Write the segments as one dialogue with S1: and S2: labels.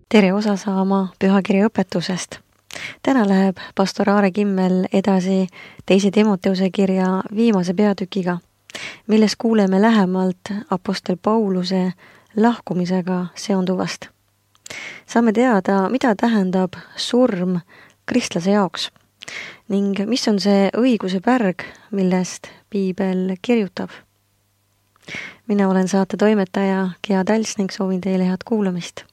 S1: Tere osa saama pühakirja õpetusest. Täna läheb pastor Aare Kimmel edasi teise Timoteuse kirja viimase peatükiga, milles kuuleme lähemalt apostel Pauluse lahkumisega seonduvast. Saame teada, mida tähendab surm kristlase jaoks ning mis on see õiguse pärg, millest piibel kirjutab. Mina olen saate toimetaja Gea Täls ning soovin teile head kuulamist.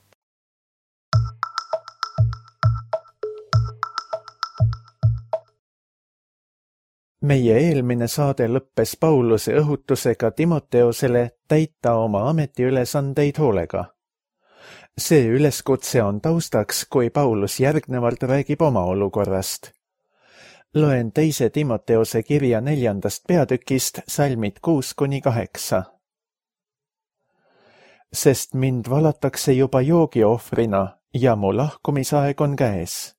S2: Meie eelmine saade lõppes Pauluse õhutusega Timoteosele täita oma ametiülesandeid hoolega. See üleskutse on taustaks, kui Paulus järgnevalt räägib oma olukorrast. Loen teise Timoteose kirja 4. peatükist salmid 6-8. Sest mind valatakse juba joogiohvrina ja mu lahkumisaeg on käes.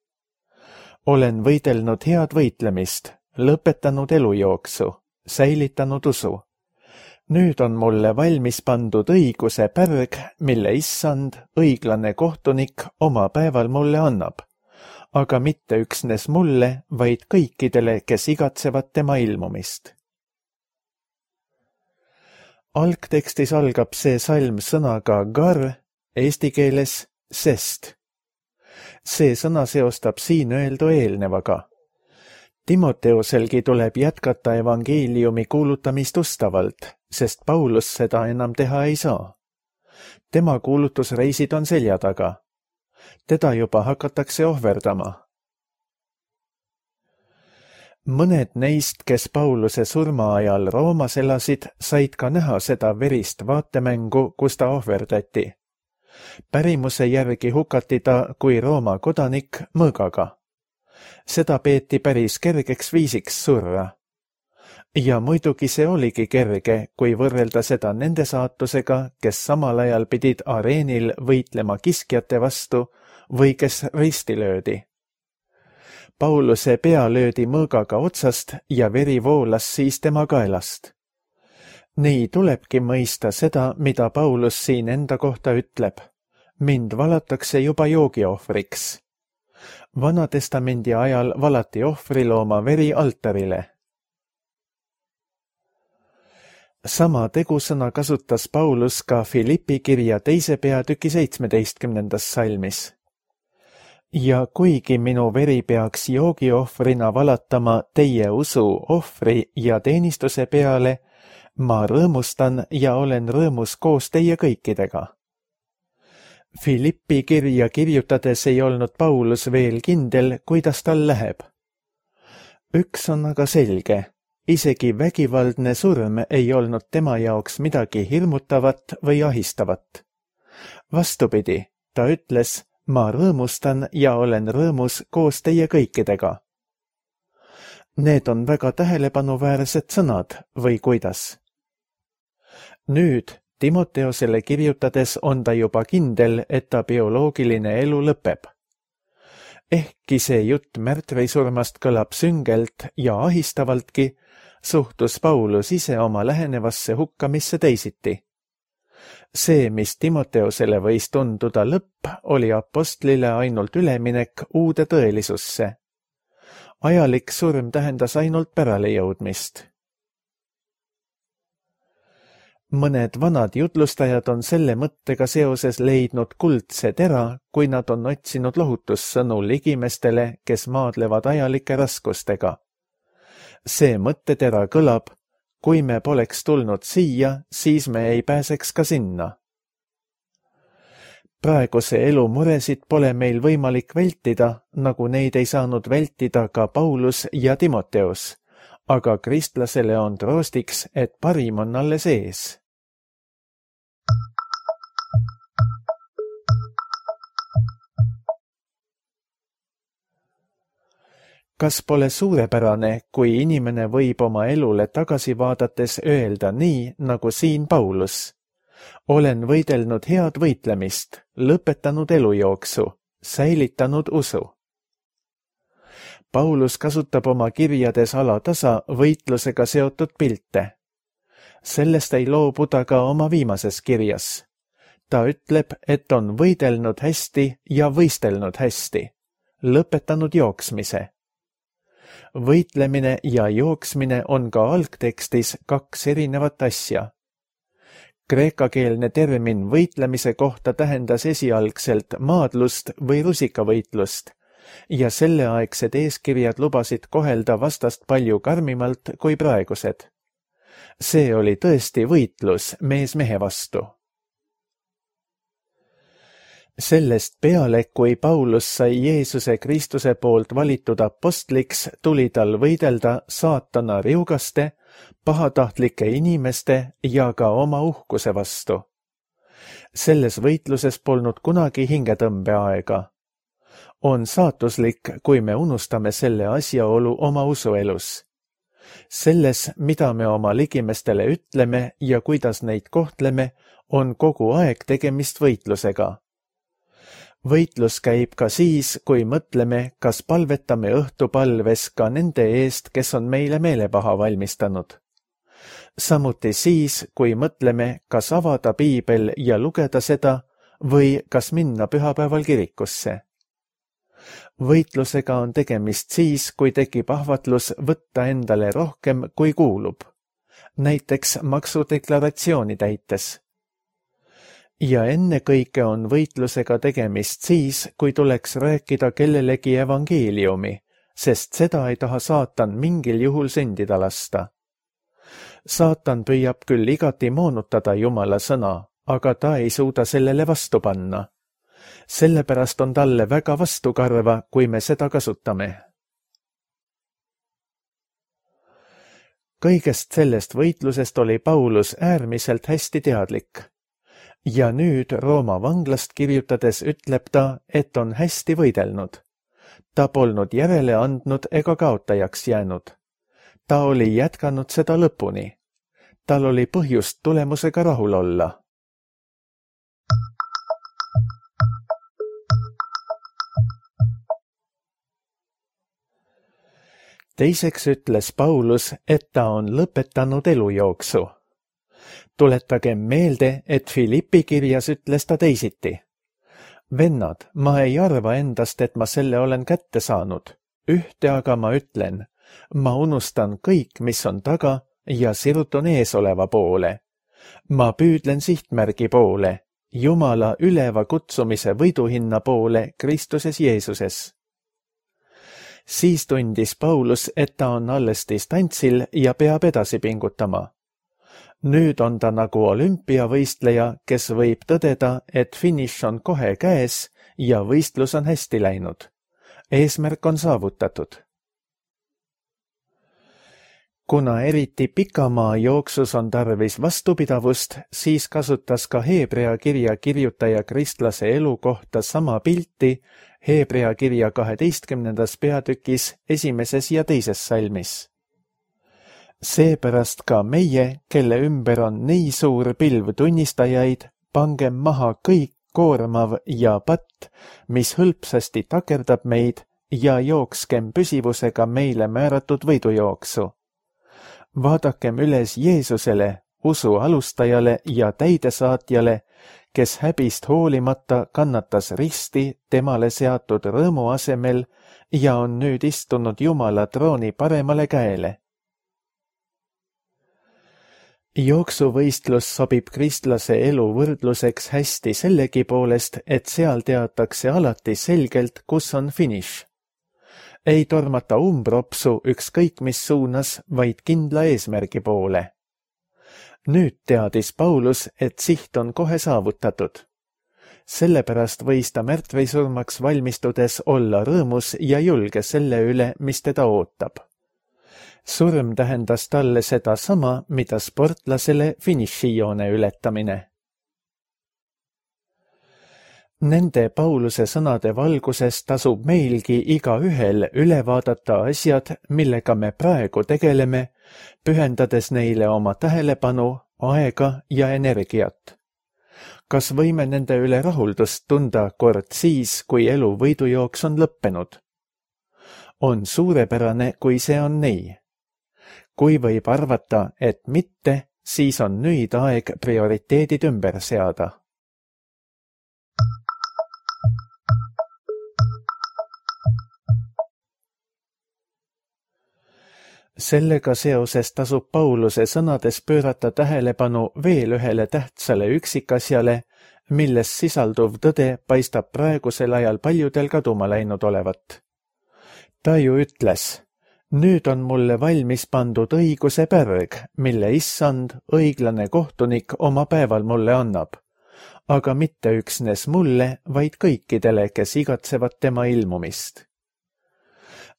S2: Olen võidelnud head võitlemist, lõpetanud elujooksu, säilitanud usu. Nüüd on mulle valmis pandud õiguse pärg, mille issand, õiglane kohtunik oma päeval mulle annab, aga mitte üksnes mulle, vaid kõikidele, kes igatsevad tema ilmumist. Algtekstis algab see salm sõnaga gar, eesti keeles sest. See sõna seostab siin öeldu eelnevaga. Timoteoselgi tuleb jätkata evangeeliumi kuulutamist ustavalt, sest Paulus seda enam teha ei saa. Tema kuulutusreisid on selja taga. Teda juba hakatakse ohverdama. Mõned neist, kes Pauluse surma ajal Roomas elasid, said ka näha seda verist vaatemängu, kus ta ohverdati. Pärimuse järgi hukati ta kui Rooma kodanik mõõgaga. Seda peeti päris kergeks viisiks surra. Ja muidugi see oligi kerge, kui võrrelda seda nende saatusega, kes samal ajal pidid areenil võitlema kiskjate vastu või kes risti löödi. Pauluse pea löödi mõõgaga otsast ja veri voolas siis tema kaelast. Nii tulebki mõista seda, mida Paulus siin enda kohta ütleb. Mind valatakse juba joogiohvriks. Vanatestamendi ajal valati ohvrilooma veri altarile. Sama tegusõna kasutas Paulus ka Filippi kirja 2. peatüki 17. salmis. Ja kuigi minu veri peaks joogiohvrina valatama teie usu, ohvri ja teenistuse peale, ma rõõmustan ja olen rõõmus koos teie kõikidega. Filippi kirja kirjutades ei olnud Paulus veel kindel, kuidas tal läheb. Üks on aga selge, isegi vägivaldne surm ei olnud tema jaoks midagi hirmutavat või ahistavat. Vastupidi, ta ütles, ma rõõmustan ja olen rõõmus koos teie kõikidega. Need on väga tähelepanuväärsed sõnad või kuidas? Nüüd Timoteosele kirjutades on ta juba kindel, et ta bioloogiline elu lõpeb. Ehkki see jutt märtrisurmast kõlab süngelt ja ahistavaltki, suhtus Paulus ise oma lähenevasse hukkamisse teisiti. See, mis Timoteosele võis tunduda lõpp, oli apostlile ainult üleminek uude tõelisusse. Ajalik surm tähendas ainult päralejõudmist. Mõned vanad jutlustajad on selle mõttega seoses leidnud kuldse tera, kui nad on otsinud lohutussõnu ligimestele, kes maadlevad ajalike raskustega. See mõttetera kõlab, kui me poleks tulnud siia, siis me ei pääseks ka sinna. Praeguse elu muresid pole meil võimalik vältida, nagu neid ei saanud vältida ka Paulus ja Timoteus. Aga kristlasele on troostiks, et parim on alles ees. Kas pole suurepärane, kui inimene võib oma elule tagasi vaadates öelda nii, nagu siin Paulus? Olen võidelnud head võitlemist, lõpetanud elujooksu, säilitanud usu. Paulus kasutab oma kirjades alatasa võitlusega seotud pilte. Sellest ei loobu ta ka oma viimases kirjas. ta ütleb, et on võidelnud hästi ja võistelnud hästi, lõpetanud jooksmise. Võitlemine ja jooksmine on ka algtekstis 2 erinevat asja. Kreekakeelne termin võitlemise kohta tähendas esialgselt maadlust või rusikavõitlust ja selleaegsed eeskirjad lubasid kohelda vastast palju karmimalt kui praegused. See oli tõesti võitlus mees mehe vastu. Sellest peale, kui Paulus sai Jeesuse Kristuse poolt valitud apostliks, tuli tal võidelda saatana riugaste, pahatahtlike inimeste ja ka oma uhkuse vastu. Selles võitluses polnud kunagi hingetõmbeaega. On saatuslik, kui me unustame selle asjaolu oma usuelus. Selles, mida me oma ligimestele ütleme ja kuidas neid kohtleme, on kogu aeg tegemist võitlusega. Võitlus käib ka siis, kui mõtleme, kas palvetame õhtupalves ka nende eest, kes on meile meelepaha valmistanud. Samuti siis, kui mõtleme, kas avada piibel ja lugeda seda või kas minna pühapäeval kirikusse. Võitlusega on tegemist siis, kui tekib ahvatlus võtta endale rohkem, kui kuulub, näiteks maksudeklaratsiooni täites. Ja ennekõike on võitlusega tegemist siis, kui tuleks rääkida kellelegi evangeeliumi, sest seda ei taha saatan mingil juhul sündida lasta. Saatan püüab küll igati moonutada Jumala sõna, aga ta ei suuda sellele vastu panna. Sellepärast on talle väga vastukarva, kui me seda kasutame. Kõigest sellest võitlusest oli Paulus äärmiselt hästi teadlik. Ja nüüd Rooma vanglast kirjutades ütleb ta, et on hästi võidelnud. Ta polnud järele andnud ega kaotajaks jäänud. Ta oli jätkanud seda lõpuni. Tal oli põhjust tulemusega rahul olla. Teiseks ütles Paulus, et ta on lõpetanud elujooksu. Tuletagem meelde, et Filippi kirjas ütles ta teisiti. Vennad, ma ei arva endast, et ma selle olen kätte saanud. Ühte aga ma ütlen, ma unustan kõik, mis on taga ja sirutun eesoleva poole. Ma püüdlen sihtmärgi poole, Jumala üleva kutsumise võiduhinna poole Kristuses Jeesuses. Siis tundis Paulus, et ta on alles distantsil ja peab edasi pingutama. Nüüd on ta nagu olümpiavõistleja, kes võib tõdeda, et finiš on kohe käes ja võistlus on hästi läinud. Eesmärk on saavutatud. Kuna eriti pikamaa jooksus on tarvis vastupidavust, siis kasutas ka Heebrea kirja kirjutaja kristlase elu kohta sama pilti Heebrea kirja 12. peatükis 1. ja 2. salmis. Seepärast ka meie, kelle ümber on nii suur pilv tunnistajaid, pangem maha kõik koormav ja patt, mis hõlpsasti takerdab meid ja jookskem püsivusega meile määratud võidujooksu. Vaadakem üles Jeesusele, usu alustajale ja täidesaatjale, kes häbist hoolimata kannatas risti temale seatud rõõmu asemel ja on nüüd istunud Jumala trooni paremale käele. Jooksuvõistlus sobib kristlase elu võrdluseks hästi sellegi poolest, et seal teatakse alati selgelt, kus on finiš. Ei tormata umbropsu ükskõik mis suunas, vaid kindla eesmärgi poole. Nüüd teadis Paulus, et siht on kohe saavutatud. Sellepärast võis ta märtrisurmaks valmistudes olla rõõmus ja julge selle üle, mis teda ootab. Surm tähendas talle seda sama, mida sportlasele finišijoone ületamine. Nende Pauluse sõnade valguses tasub meilgi igaühel üle vaadata asjad, millega me praegu tegeleme, pühendades neile oma tähelepanu, aega ja energiat. Kas võime nende üle rahuldust tunda kord siis, kui elu võidujooks on lõppenud? On suurepärane, kui see on nii. Kui võib arvata, et mitte, siis on nüüd aeg prioriteedid ümber seada. Sellega seoses tasub Pauluse sõnades pöörata tähelepanu veel ühele tähtsale üksikasjale, milles sisalduv tõde paistab praegusel ajal paljudel kaduma läinud olevat. Ta ju ütles: nüüd on mulle valmis pandud õiguse pärg, mille issand, õiglane kohtunik oma päeval mulle annab, aga mitte üksnes mulle, vaid kõikidele, kes igatsevad tema ilmumist.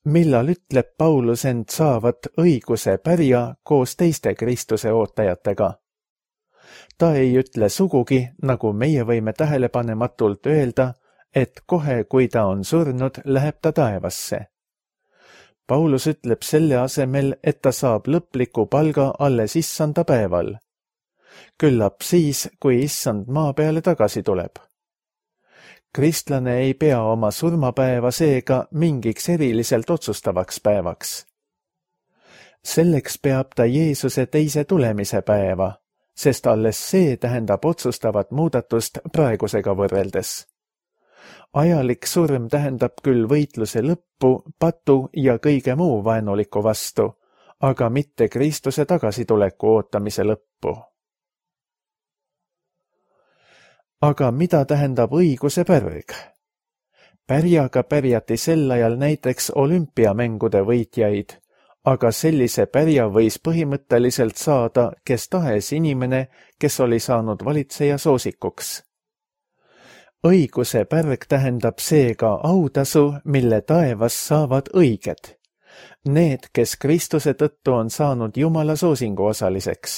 S2: Millal ütleb Paulus end saavat õiguse pärja koos teiste Kristuse ootajatega? Ta ei ütle sugugi, nagu meie võime tähelepanematult öelda, et kohe, kui ta on surnud, läheb ta taevasse. Paulus ütleb selle asemel, et ta saab lõpliku palga alles issanda päeval. Küllap siis, kui issand maa peale tagasi tuleb. Kristlane ei pea oma surmapäeva seega mingiks eriliselt otsustavaks päevaks. Selleks peab ta Jeesuse teise tulemise päeva, sest alles see tähendab otsustavat muudatust praegusega võrreldes. Ajalik surm tähendab küll võitluse lõppu, patu ja kõige muu vaenuliku vastu, aga mitte Kristuse tagasituleku ootamise lõppu. Aga mida tähendab õiguse pärg? Pärjaga pärjati sel ajal näiteks olümpiamängude võitjaid, aga sellise pärja võis põhimõtteliselt saada kes tahes inimene, kes oli saanud valitseja soosikuks. Õiguse pärg tähendab seega autasu, mille taevas saavad õiged. Need, kes Kristuse tõttu on saanud Jumala soosingu osaliseks.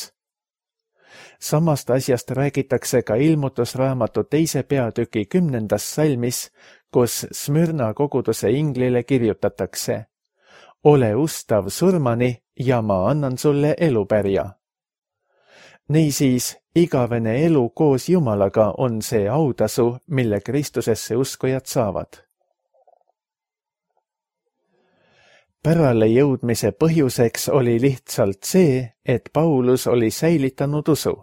S2: Samast asjast räägitakse ka Ilmutusraamatu 2. peatüki 10. salmis, kus Smyrna koguduse inglile kirjutatakse: ole ustav surmani ja ma annan sulle elupärja. Niisiis, igavene elu koos Jumalaga on see autasu, mille Kristusesse uskujad saavad. Pärale jõudmise põhjuseks oli lihtsalt see, et Paulus oli säilitanud usu.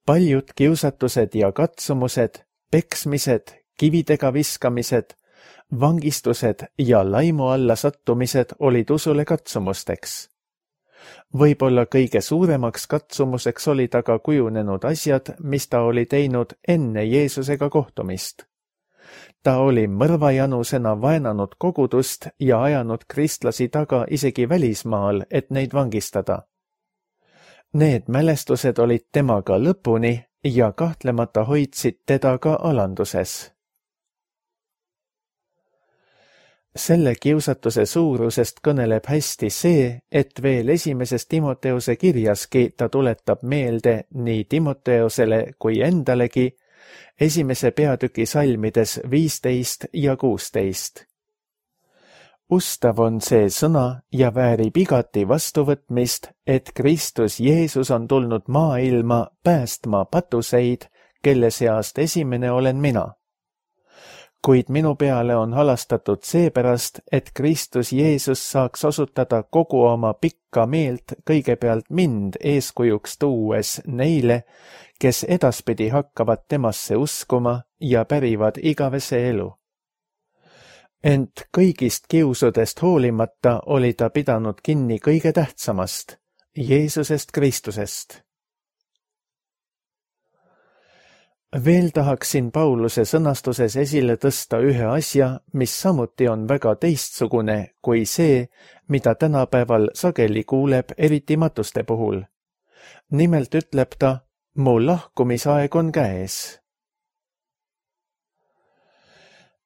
S2: Paljud kiusatused ja katsumused, peksmised, kividega viskamised, vangistused ja laimu alla sattumised olid usule katsumusteks. Võib-olla kõige suuremaks katsumuseks olid aga kujunenud asjad, mis ta oli teinud enne Jeesusega kohtumist. Ta oli mõrvajanusena vaenanud kogudust ja ajanud kristlasi taga isegi välismaal, et neid vangistada. Need mälestused olid temaga lõpuni ja kahtlemata hoidsid teda ka alanduses. Selle kiusatuse suurusest kõneleb hästi see, et veel 1. Timoteuse kirjaski ta tuletab meelde nii Timoteusele kui endalegi 1. peatüki salmides 15 ja 16. Ustav on see sõna ja väärib igati vastuvõtmist, et Kristus Jeesus on tulnud maailma päästma patuseid, kelle seast esimene olen mina. Kuid minu peale on halastatud seepärast, et Kristus Jeesus saaks osutada kogu oma pikka meelt kõigepealt mind eeskujuks tuues neile, kes edaspidi hakkavad temasse uskuma ja pärivad igavese elu. Ent kõigist kiusudest hoolimata oli ta pidanud kinni kõige tähtsamast, Jeesusest Kristusest. Veel tahaksin Pauluse sõnastuses esile tõsta ühe asja, mis samuti on väga teistsugune kui see, mida tänapäeval sageli kuuleb eriti matuste puhul. Nimelt ütleb ta, mu lahkumisaeg on käes.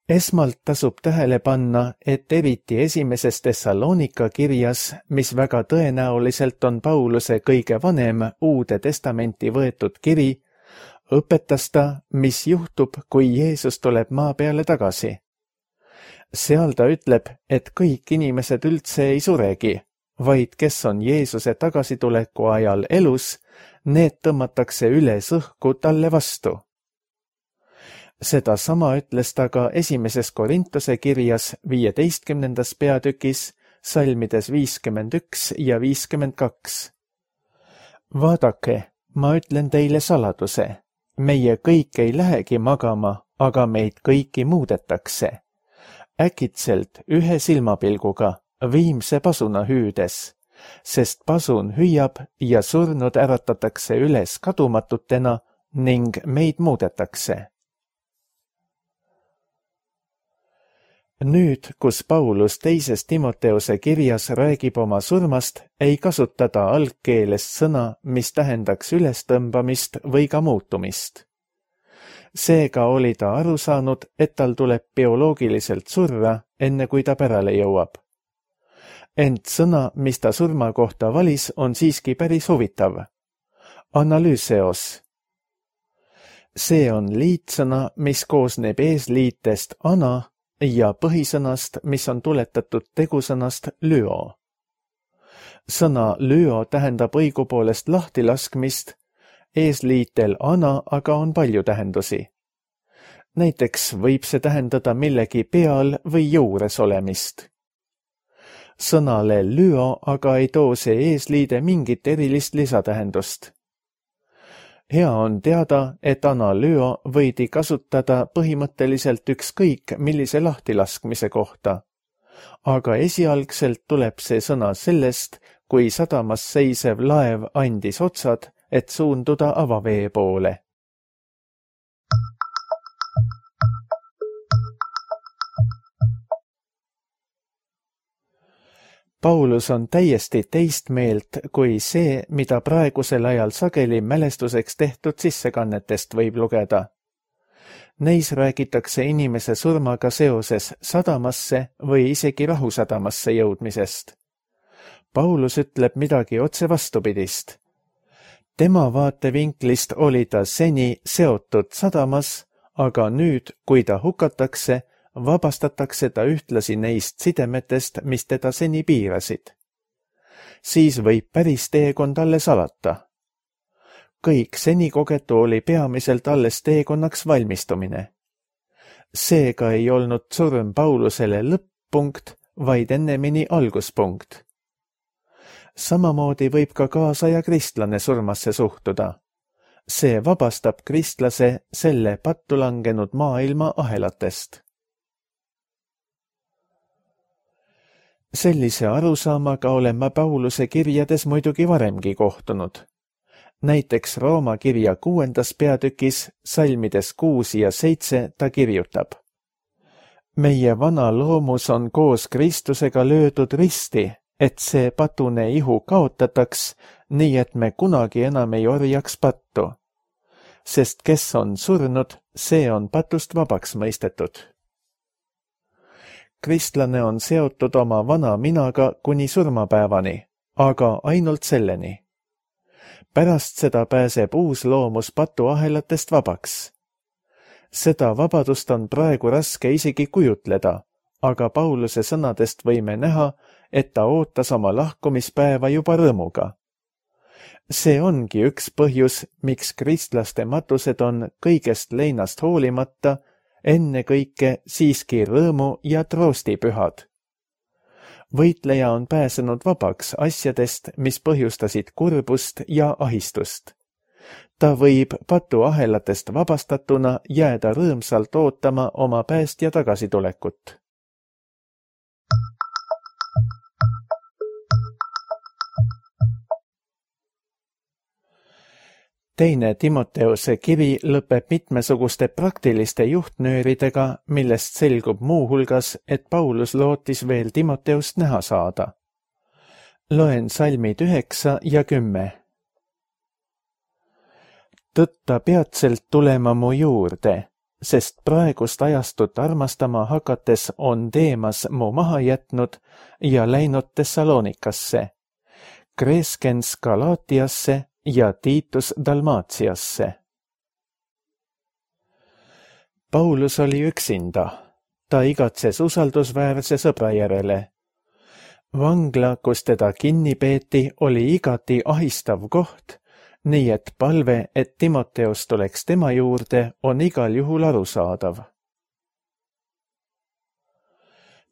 S2: Esmalt tasub tähele panna, et eriti 1. Thessalonika kirjas, mis väga tõenäoliselt on Pauluse kõige vanem Uude Testamenti võetud kiri, õpetas ta, mis juhtub, kui Jeesus tuleb maa peale tagasi. Seal ta ütleb, et kõik inimesed üldse ei suregi, vaid kes on Jeesuse tagasituleku ajal elus, need tõmmatakse üles õhku talle vastu. Seda sama ütles ta ka 1. Korintuse kirjas 15. peatükis, salmides 51 ja 52. Vaadake, ma ütlen teile saladuse. Meie kõik ei lähegi magama, aga meid kõiki muudetakse. Äkitselt ühe silmapilguga, viimse pasuna hüüdes, sest pasun hüüab ja surnud äratatakse üles kadumatutena ning meid muudetakse. Nüüd, kus Paulus teises Timoteuse kirjas räägib oma surmast, ei kasuta ta algkeeles sõna, mis tähendaks ülestõmbamist või ka muutumist. Seega oli ta aru saanud, et tal tuleb bioloogiliselt surra, enne kui ta pärale jõuab. Ent sõna, mis ta surma kohta valis, on siiski päris huvitav. Analüüseos. See on liitsõna, mis koosneb eesliitest ana ja põhisõnast, mis on tuletatud tegusõnast lüo. Sõna lüo tähendab õigupoolest lahtilaskmist, eesliitel ana aga on palju tähendusi. Näiteks võib see tähendada millegi peal või juures olemist. Sõnale lüo aga ei too see eesliide mingit erilist lisatähendust. Hea on teada, et analüo võidi kasutada põhimõtteliselt ükskõik millise lahtilaskmise kohta, aga esialgselt tuleb see sõna sellest, kui sadamas seisev laev andis otsad, et suunduda avavee poole. Paulus on täiesti teist meelt kui see, mida praegusel ajal sageli mälestuseks tehtud sissekannetest võib lugeda. Neis räägitakse inimese surmaga seoses sadamasse või isegi rahusadamasse jõudmisest. Paulus ütleb midagi otse vastupidist. Tema vaatevinklist oli ta seni seotud sadamas, aga nüüd, kui ta hukatakse, vabastatakse ta ühtlasi neist sidemetest, mis teda seni piirasid. Siis võib päris teekond alles alata. Kõik seni kogetu oli peamiselt alles teekonnaks valmistumine. Seega ei olnud surm Paulusele lõpp-punkt, vaid ennemini alguspunkt. Samamoodi võib ka kaasaja kristlane surmasse suhtuda. See vabastab kristlase selle pattu langenud maailma ahelatest. Sellise arusaamaga olen ma Pauluse kirjades muidugi varemgi kohtunud. Näiteks Rooma kirja 6. peatükis, salmides 6 ja 7 ta kirjutab. Meie vana loomus on koos Kristusega löödud risti, et see patune ihu kaotataks, nii et me kunagi enam ei orjaks pattu. Sest kes on surnud, see on patust vabaks mõistetud. Kristlane on seotud oma vana minaga kuni surmapäevani, aga ainult selleni. Pärast seda pääseb uus loomus patuahelatest vabaks. Seda vabadust on praegu raske isegi kujutleda, aga Pauluse sõnadest võime näha, et ta ootas oma lahkumispäeva juba rõõmuga. See ongi üks põhjus, miks kristlaste matused on kõigest leinast hoolimata ennekõike siiski rõõmu ja troostipühad. Võitleja on pääsenud vabaks asjadest, mis põhjustasid kurbust ja ahistust. Ta võib patuahelatest vabastatuna jääda rõõmsalt ootama oma päästja tagasitulekut. Teine Timoteuse kiri lõpeb mitmesuguste praktiliste juhtnööridega, millest selgub muuhulgas, et Paulus lootis veel Timoteust näha saada. Loen salmid 9 ja 10. Tõtta peatselt tulema mu juurde, sest praegust ajastut armastama hakates on Deemas mu maha jätnud ja läinud Thessalonikasse, Kreskens Galaatiasse ja Tiitus Dalmaatiasse. Paulus oli üksinda. Ta igatses usaldusväärse sõbra järele. Vangla, kus teda kinni peeti, oli igati ahistav koht, nii et palve, et Timoteus tuleks tema juurde, on igal juhul arusaadav.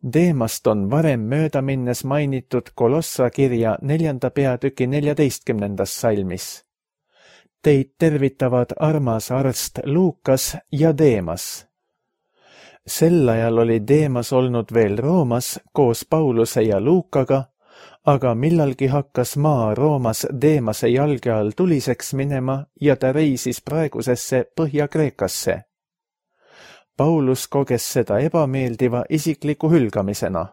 S2: Deemast on varem mööda minnes mainitud Kolossa kirja 4. peatüki 14. salmis. Teid tervitavad armas arst Luukas ja Deemas. Sel ajal oli Deemas olnud veel Roomas koos Pauluse ja Luukaga, aga millalgi hakkas maa Roomas Deemase jalge all tuliseks minema ja ta reisis praegusesse Põhja-Kreekasse. Paulus koges seda ebameeldiva isikliku hülgamisena.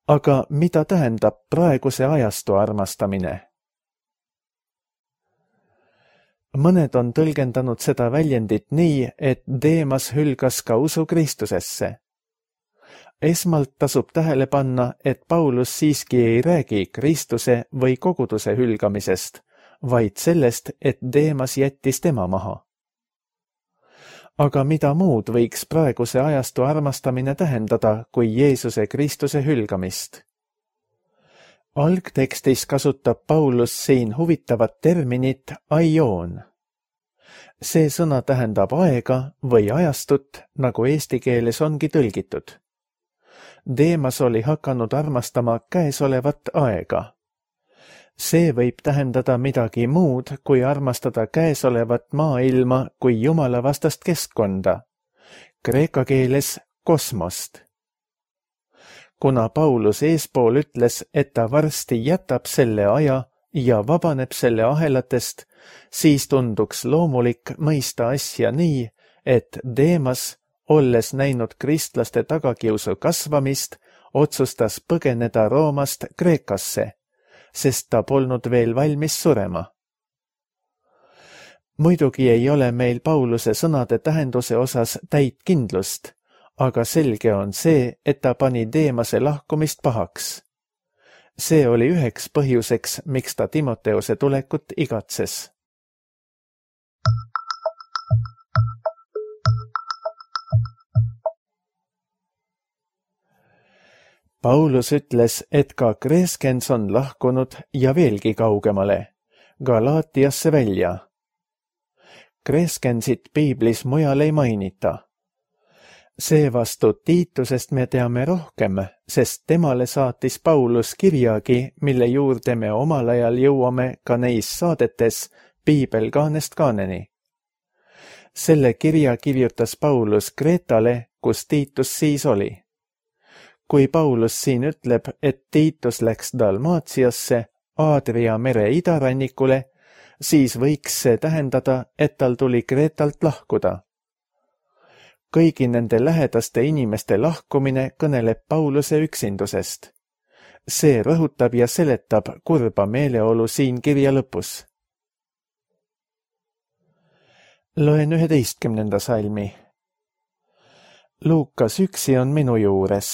S2: Aga mida tähendab praeguse ajastu armastamine? Mõned on tõlgendanud seda väljendit nii, et Deemas hülgas ka usu Kristusesse. Esmalt tasub tähele panna, et Paulus siiski ei räägi Kristuse või koguduse hülgamisest, vaid sellest, et Deemas jättis tema maha. Aga mida muud võiks praeguse ajastu armastamine tähendada kui Jeesuse Kristuse hülgamist? Algtekstis kasutab Paulus siin huvitavat terminit aion. See sõna tähendab aega või ajastut, nagu eesti keeles ongi tõlgitud. Deemas oli hakanud armastama käesolevat aega. See võib tähendada midagi muud, kui armastada käesolevat maailma kui jumalavastast keskkonda, kreeka keeles kosmost. Kuna Paulus eespool ütles, et ta varsti jätab selle aja ja vabaneb selle ahelatest, siis tunduks loomulik mõista asja nii, et Deemas, olles näinud kristlaste tagakiusu kasvamist, otsustas põgeneda Roomast Kreekasse, sest ta polnud veel valmis surema. Muidugi ei ole meil Pauluse sõnade tähenduse osas täit kindlust, aga selge on see, et ta pani Deemase lahkumist pahaks. See oli üheks põhjuseks, miks ta Timoteuse tulekut igatses. Paulus ütles, et ka Kreskens on lahkunud ja veelgi kaugemale, Galaatiasse välja. Kreskensit piiblis mujal ei mainita. Seevastu Tiitusest me teame rohkem, sest temale saatis Paulus kirjagi, mille juurde me omal ajal jõuame ka neis saadetes piibel kaanest kaaneni. Selle kirja kirjutas Paulus Kreetale, kus Tiitus siis oli. Kui Paulus siin ütleb, et Tiitus läks Dalmaatiasse, Aadria mere idarannikule, siis võiks see tähendada, et tal tuli Kreetalt lahkuda. Kõigi nende lähedaste inimeste lahkumine kõneleb Pauluse üksindusest. See rõhutab ja seletab kurba meeleolu siin kirja lõpus. Loen 11. salmi. Luukas üksi on minu juures.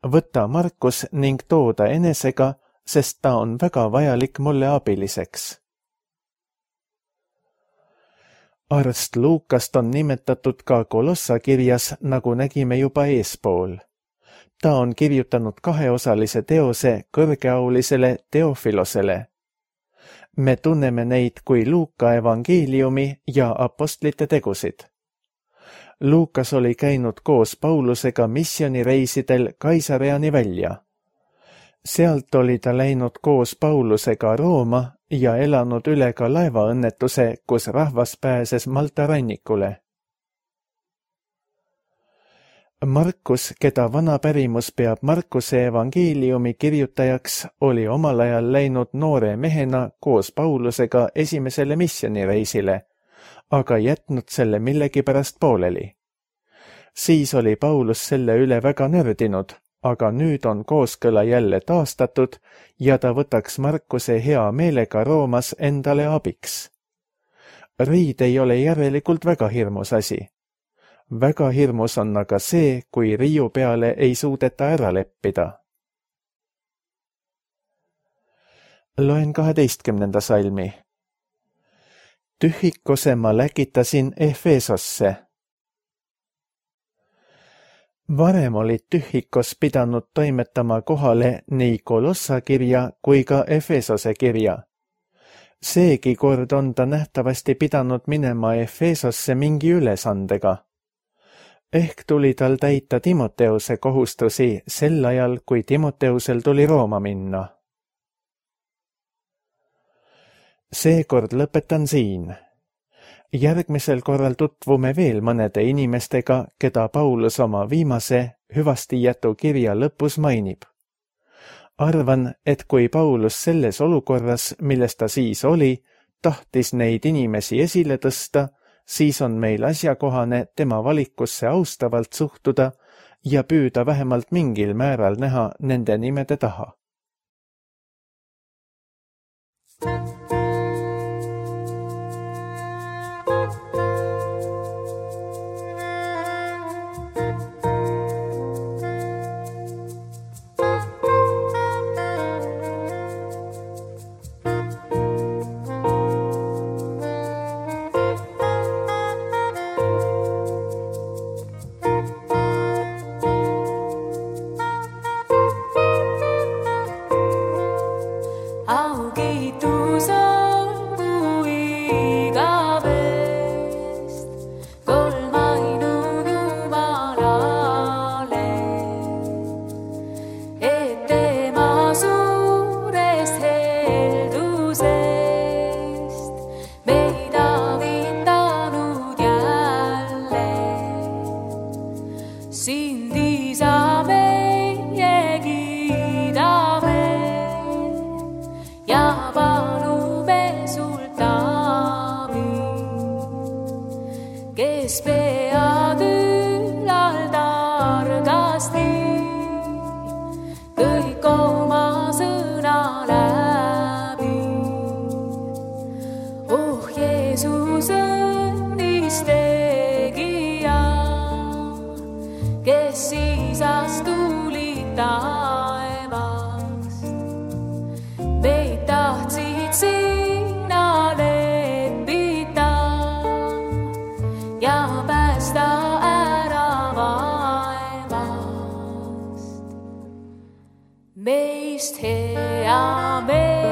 S2: Võta Markus ning too ta enesega, sest ta on väga vajalik mulle abiliseks. Arst Luukast on nimetatud ka Kolossa kirjas, nagu nägime juba eespool. Ta on kirjutanud kaheosalise teose kõrgeaulisele Teofilosele. Me tunneme neid kui Luuka evangeeliumi ja apostlite tegusid. Luukas oli käinud koos Paulusega missioonireisidel Kaisareani välja. Sealt oli ta läinud koos Paulusega Rooma ja elanud üle ka laevaõnnetuse, kus rahvas pääses Malta rannikule. Markus, keda vana pärimus peab Markuse evangeeliumi kirjutajaks, oli omal ajal läinud noore mehena koos Paulusega esimesele missioonireisile, aga jätnud selle millegipärast pooleli. Siis oli Paulus selle üle väga nördinud, aga nüüd on kooskõla jälle taastatud ja ta võtaks Markuse hea meelega Roomas endale abiks. Riid ei ole järelikult väga hirmus asi. Väga hirmus on aga see, kui riiu peale ei suudeta ära leppida. Loen 12. salmi. Tühikose ma läkitasin Efesosse. Varem oli Tühikos pidanud toimetama kohale nii Kolossa kirja kui ka Efesose kirja. Seegi kord on ta nähtavasti pidanud minema Efesosse mingi ülesandega. Ehk tuli tal täita Timoteuse kohustusi sel ajal, kui Timoteusel tuli Rooma minna. Seekord lõpetan siin. Järgmisel korral tutvume veel mõnede inimestega, keda Paulus oma viimase hüvastijätu kirja lõpus mainib. Arvan, et kui Paulus selles olukorras, milles ta siis oli, tahtis neid inimesi esile tõsta, siis on meil asjakohane tema valikusse austavalt suhtuda ja püüda vähemalt mingil määral näha nende nimede taha.
S3: Meist hea meel.